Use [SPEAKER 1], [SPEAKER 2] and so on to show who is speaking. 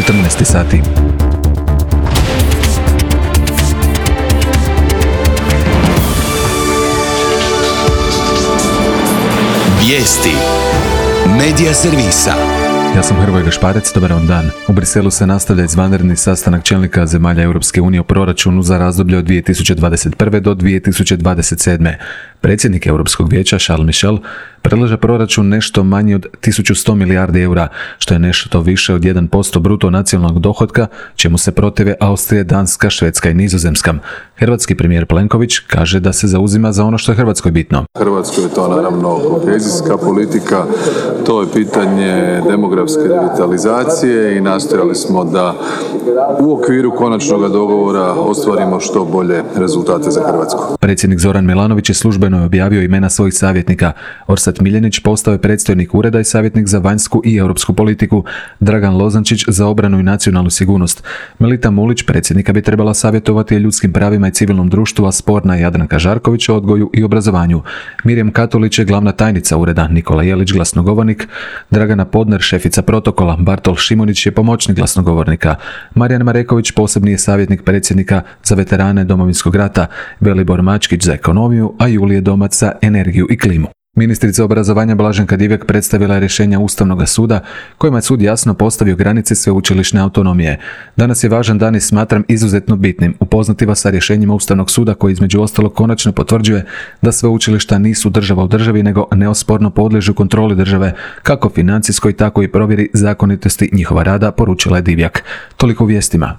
[SPEAKER 1] 14 sati.
[SPEAKER 2] Vijesti Medija servisa.
[SPEAKER 1] Ja sam Hrvoje Gašparec, dobar vam dan. U Briselu se nastavlja izvanredni sastanak čelnika zemalja Europske unije o proračunu za razdoblje od 2021. do 2027. Predsjednik Europskog vijeća Charles Michel predlaže proračun nešto manji od 1100 milijardi eura, što je nešto više od 1% bruto nacionalnog dohotka, čemu se protive Austrija, Danska, Švedska i Nizozemska. Hrvatski premijer Plenković kaže da se zauzima za ono što je Hrvatskoj bitno.
[SPEAKER 3] Hrvatskoj je to naravno kohezijska politika, to je pitanje demografske revitalizacije i nastojali smo da u okviru konačnog dogovora ostvarimo što bolje rezultate za Hrvatsku.
[SPEAKER 1] Predsjednik Zoran Milanović je službeno objavio imena svojih savjetnika. Orsat Miljenić postao je predstojnik ureda i savjetnik za vanjsku i europsku politiku, Dragan Lozančić za obranu i nacionalnu sigurnost. Melita Mulić predsjednika bi trebala savjetovati o ljudskim pravima i civilnom društvu, a sporna je Jadranka Žarković o odgoju i obrazovanju. Mirjam Katulić je glavna tajnica ureda, Nikola Jelić glasnogovornik, Dragana Podner šefica protokola, Bartol Šimonić je pomoćnik glasnogovornika, Marijan Mareković posebni je savjetnik predsjednika za veterane Domovinskog rata, Velibor Mačkić za ekonomiju, a Julije Domac za energiju i klimu. Ministrica obrazovanja Blaženka Divjak predstavila je rješenja Ustavnog suda kojima je sud jasno postavio granice sveučilišne autonomije. Danas je važan dan i smatram izuzetno bitnim upoznati vas sa rješenjima Ustavnog suda koji između ostalog konačno potvrđuje da sveučilišta nisu država u državi nego neosporno podliježu kontroli države, kako financijskoj tako i provjeri zakonitosti njihova rada, poručila je Divjak. Toliko u vijestima.